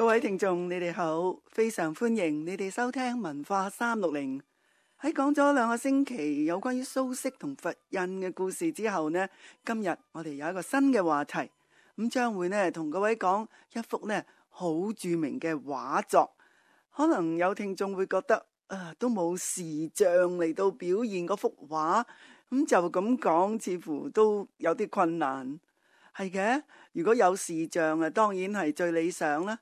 位聽眾，你哋好，非常歡迎你哋收聽文化360。喺講咗2個星期有關於蘇軾同佛印嘅故事之後呢，今日我哋有一個新嘅話題，咁將會呢同各位講一幅呢好著名嘅畫作。可能有聽眾會覺得都冇視像嚟到表現嗰幅畫，咁就咁講似乎都有啲困難。係嘅，如果有視像當然係最理想啦。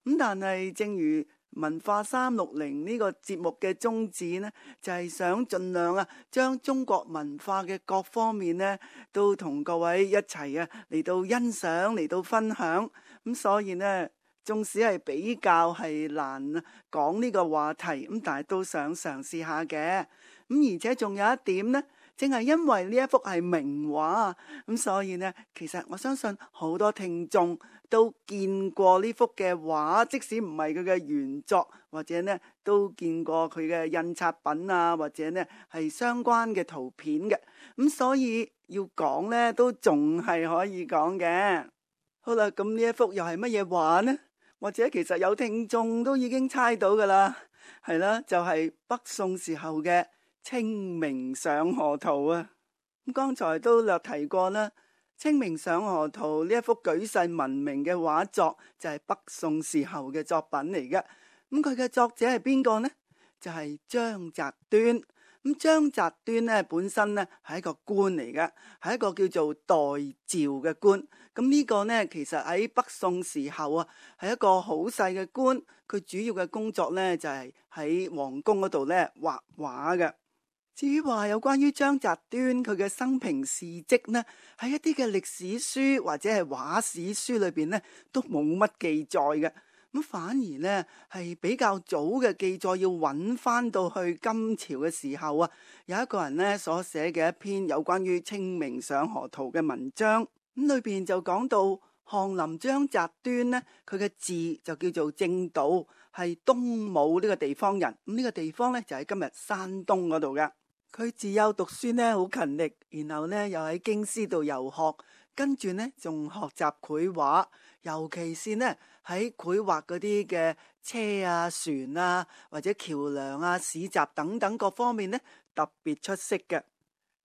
咁但係正如文化360呢個節目嘅宗旨呢，就係想盡量將中國文化嘅各方面呢都同各位一齊嚟到欣賞，嚟到分享。咁所以呢，縱使係比較係難講呢個話題，咁但係都想嘗試下嘅。咁而且仲有一點呢，正係因為呢一幅係名畫，咁所以呢，其實我相信好多聽眾都見過呢幅嘅畫，即使唔係佢嘅原作，或者呢都見過佢嘅印刷品啊，或者呢係相關嘅圖片嘅。咁所以要講呢，都仲係可以講嘅。好啦，咁呢一幅又係乜嘢畫呢？或者其實有聽眾都已經猜到噶啦，係啦，就係北宋時候嘅清明上河圖啊。咁剛才都略提過啦，清明上河圖呢一幅舉世聞名嘅畫作就係北宋時候嘅作品嚟嘅。咁佢嘅作者係邊個呢？就係張擇端。咁張擇端呢本身呢係一個官嚟嘅，係一個叫做代趙嘅官。咁呢個呢其實喺北宋時候係一個好細嘅官，佢主要嘅工作呢就係喺皇宮嗰度呢畫畫嘅。至於話有關於張擇端佢嘅生平事蹟呢，喺一啲嘅歷史書或者係畫史書裏邊呢都冇乜記載嘅。咁反而呢係比較早嘅記載，要揾翻到去金朝嘅時候有一個人呢所寫嘅一篇有關於清明上河圖嘅文章。咁裏邊就講到翰林張擇端呢，佢嘅字就叫做正道，係東武呢個地方人。咁呢個地方呢就喺今日山東嗰度嘅。佢自幼讀書呢好勤力，然後呢又喺京師度遊學，跟住呢仲學習繪畫，尤其是呢喺繪畫嗰啲嘅車啊、船啊或者橋梁啊、市集等等各方面呢特別出色嘅。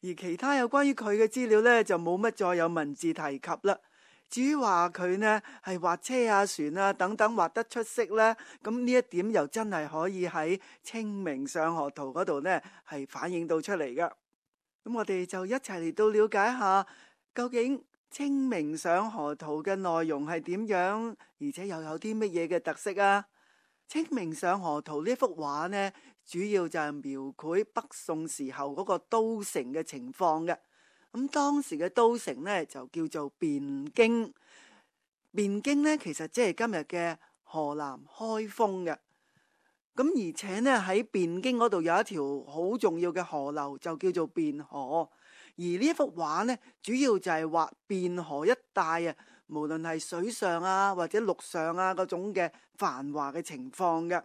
而其他有關於佢嘅資料呢就冇乜再有文字提及啦。至於話佢呢係畫車啊、船啊等等畫得出色呢，咁呢一點又真係可以喺清明上河圖嗰度呢係反映到出嚟㗎。咁我哋就一齊嚟到了解下究竟清明上河圖嘅內容係點樣，而且又有啲乜嘢嘅特色啊？清明上河圖呢幅畫呢，主要就係描繪北宋時候嗰個都城嘅情況嘅。咁當時嘅都城呢，就叫做汴京。汴京呢，其實即係今日嘅河南開封嘅。咁而且呢，喺汴京嗰度有一條好重要嘅河流，就叫做汴河。而呢一幅畫呢，主要就係畫汴河一帶無論係水上或者陸上嗰種嘅繁華嘅情況嘅。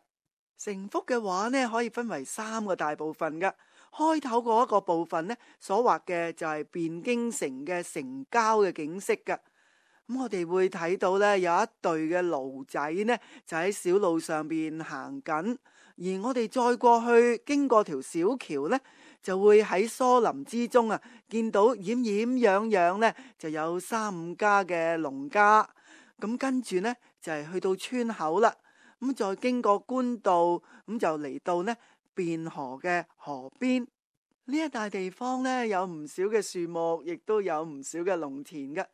成幅嘅畫呢，可以分為3個大部分嘅。開頭嗰一個部分呢，所畫嘅就係汴京城嘅城郊嘅景色嘅。咁我哋會睇到呢，有一隊嘅驢仔呢，就喺小路上邊行緊，而我哋再過去經過條小橋呢，就會喺疏林之中見到掩掩樣樣呢，就有3-5家嘅農家。咁跟住呢，就係去到村口啦，咁再經過官道，咁就嚟到呢汴河嘅河邊。呢一帶地方呢，有唔少嘅樹木，亦都有唔少嘅農田嘅。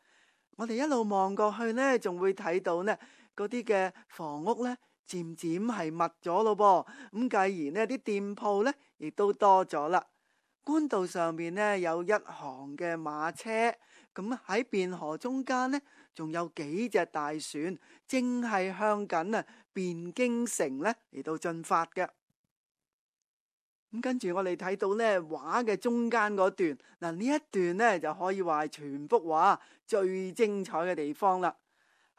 我哋一路望過去呢，仲會睇到呢嗰啲嘅房屋呢，漸漸係密咗咯噃。咁繼而呢啲店鋪呢，亦都多咗啦。官道上面呢，有一行嘅馬車，咁喺汴河中間呢，仲有幾隻大船，正係向緊汴京城呢嚟到進發嘅。咁跟住我哋睇到呢畫嘅中間嗰段，嗱呢一段呢就可以話係全幅畫最精彩嘅地方啦。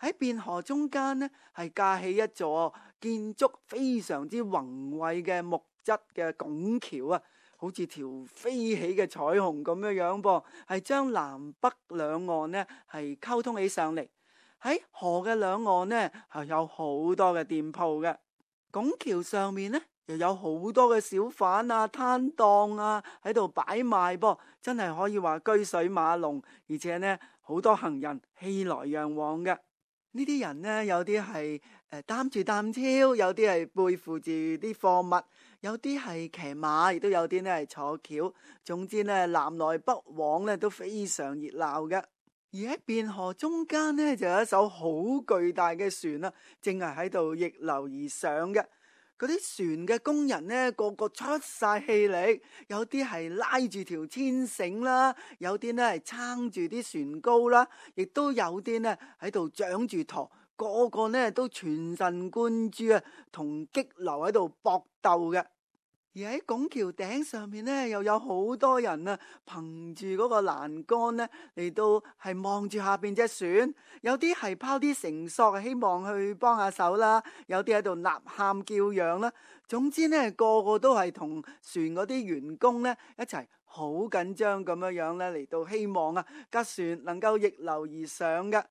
喺汴河中間呢，係架起一座建築非常之宏偉嘅木質嘅拱橋好似條飛起嘅彩虹咁樣樣噃，係將南北兩岸呢係溝通起上嚟。喺河嘅兩岸呢，係有好多嘅店鋪嘅。拱橋上面呢，又有好多嘅小販啊、攤檔啊喺度擺賣噃，真係可以話車水馬龍，而且呢，好多行人熙來攘往嘅。呢啲人呢，有啲係擔住擔挑，有啲係背負住啲貨物，有啲係騎馬，亦都有啲呢係坐轎。總之呢，南來北往呢都非常熱鬧嘅。而喺汴河中間呢，就有一艘好巨大嘅船啦，正係喺度逆流而上嘅。嗰啲船嘅工人呢，個個出晒氣力，有啲係拉住條牽繩啦，有啲呢係撐住啲船篙啦，亦都有啲呢喺度掌住舵，個個呢都全神貫注啊，同激流喺度搏鬥嘅。而喺拱橋頂上面呢，又有好多人啊，憑住嗰個欄杆呢嚟到係望住下邊隻船，有啲係拋啲繩索，希望去幫下手啦，有啲喺度吶喊叫嚷啦。總之呢，個個都係同船嗰啲員工呢一齊好緊張咁樣呢嚟到希望啊架船能夠逆流而上嘅。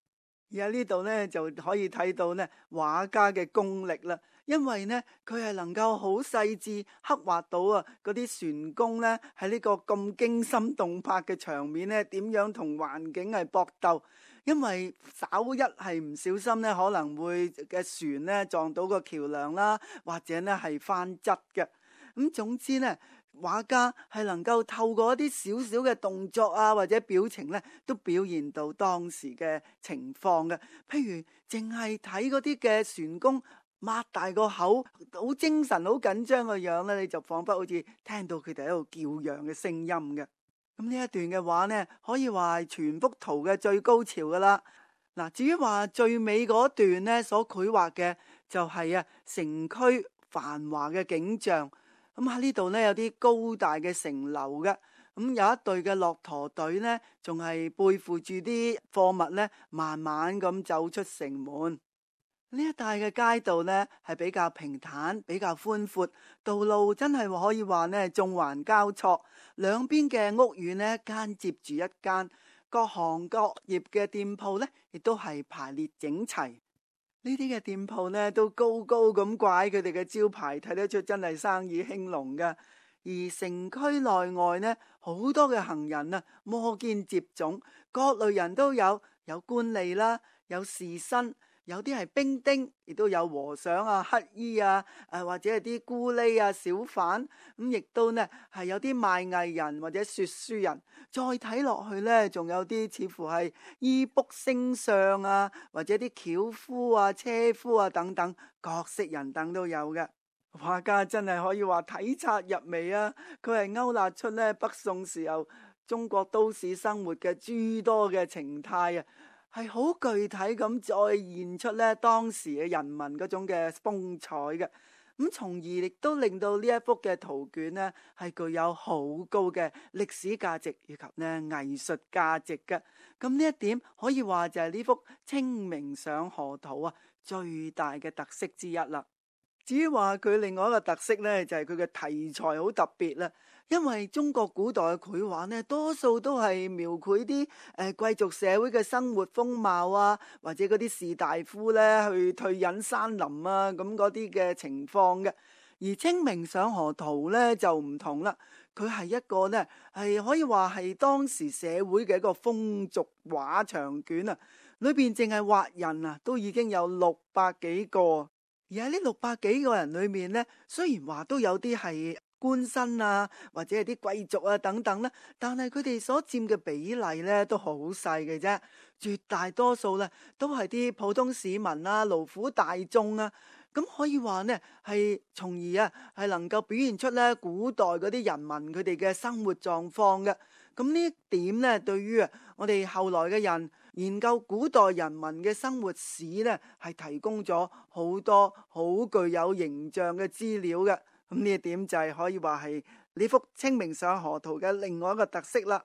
而喺呢度呢，就可以睇到呢畫家嘅功力啦。因為呢，佢係能夠好細緻刻畫到啊，嗰啲船工呢喺呢個咁驚心動魄嘅場面呢，點樣同環境係搏鬥。因為稍一係唔小心呢，可能會嘅船呢撞到個橋梁啦，或者呢係翻側嘅。咁總之呢，畫家係能夠透過一啲少少嘅動作啊，或者表情呢，都表現到當時嘅情況嘅。譬如淨係睇嗰啲嘅船工擘大個口，好精神、好緊張嘅樣咧，你就仿佛好似聽到佢哋喺度叫嚷嘅聲音嘅。咁呢一段嘅話呢，可以話係全幅圖嘅最高潮噶啦。嗱，至於話最尾嗰段呢，所繪畫嘅就係城區繁華嘅景象。咁喺呢度呢，有啲高大嘅城樓嘅。咁有一隊嘅駱駝隊呢，仲係背負住啲貨物呢，慢慢咁走出城門。呢一帶嘅街道呢係比較平坦，比較寬闊，道路真係可以話呢縱橫交錯，兩邊嘅屋宇呢間接住一間，各行各業嘅店鋪呢亦都係排列整齊。呢啲嘅店鋪呢都高高咁掛佢哋嘅招牌，睇得出真係生意興隆㗎。而城區內外呢，好多嘅行人啊，摩肩接踵，各類人都有，有官吏啦，有士紳。有啲係兵丁，亦都有和尚啊、乞衣啊，或者係啲咕喱啊、小販，咁亦都呢係有啲賣藝人或者說書人。再睇落去呢，仲有啲似乎係醫卜星相啊，或者啲轎夫啊、車夫啊等等，各色人等都有嘅。畫家真係可以話體察入微啊！佢係勾勒出呢北宋時候中國都市生活嘅諸多嘅情態啊！係好具體咁再現出咧當時嘅人民嗰種嘅風采嘅，咁從而亦都令到呢一幅嘅圖卷呢係具有好高嘅歷史價值以及呢藝術價值嘅。咁呢一點可以話就係呢幅《清明上河圖》啊最大嘅特色之一啦。至於話佢另外一個特色呢，就係佢嘅題材好特別啦。因為中國古代嘅繪畫呢，多數都係描繪啲貴族社會嘅生活風貌啊，或者嗰啲士大夫呢去退隱山林啊，咁嗰啲嘅情況嘅。而《清明上河圖》呢就唔同啦，佢係一個呢係可以話係當時社會嘅一個風俗畫長卷啊，裏邊淨係畫人啊都已經有600幾個，而喺呢600幾個人裏面呢，雖然話都有啲係官紳啊，或者係啲貴族啊等等啦，但係佢哋所佔嘅比例咧都好細嘅啫，絕大多數咧都係啲普通市民啊、勞苦大眾啊，咁可以話呢係從而啊係能夠表現出咧古代嗰啲人民佢哋嘅生活狀況嘅。咁呢一點咧，對於我哋後來嘅人研究古代人民嘅生活史咧，係提供咗好多好具有形象嘅資料嘅。咁呢一點就係可以話係呢幅《清明上河圖》嘅另外一個特色啦。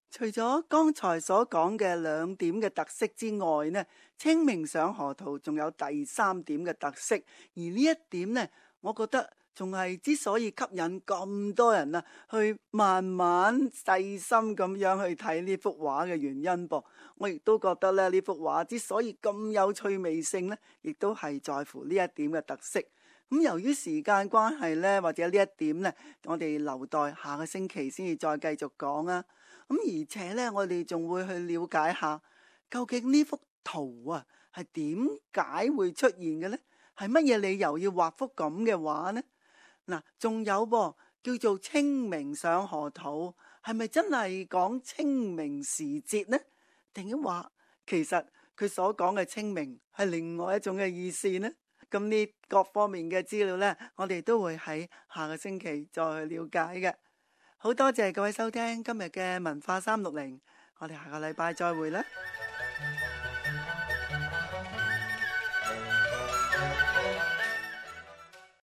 除咗剛才所講嘅2點嘅特色之外呢，《清明上河圖》仲有第3點嘅特色，而呢一點呢，我覺得仲係之所以吸引咁多人啊，去慢慢細心咁樣去睇呢幅畫嘅原因噃。我亦都覺得咧，呢幅畫之所以咁有趣味性呢，亦都係在乎呢一點嘅特色。咁由於時間關係呢，或者呢一點呢，我哋留待下個星期先至再繼續講啊。咁而且呢，我哋仲會去了解下，究竟呢幅圖啊係點解會出現嘅呢？係乜嘢理由要畫幅咁嘅畫呢？嗱，仲有噃，叫做清明上河圖，係咪真係講清明時節呢？定係話其實佢所講嘅清明係另外一種嘅意思呢？咁呢各方面嘅資料呢，我哋都會喺下個星期再去了解嘅。好多謝各位收聽今日嘅文化360，我哋下個禮拜再會啦。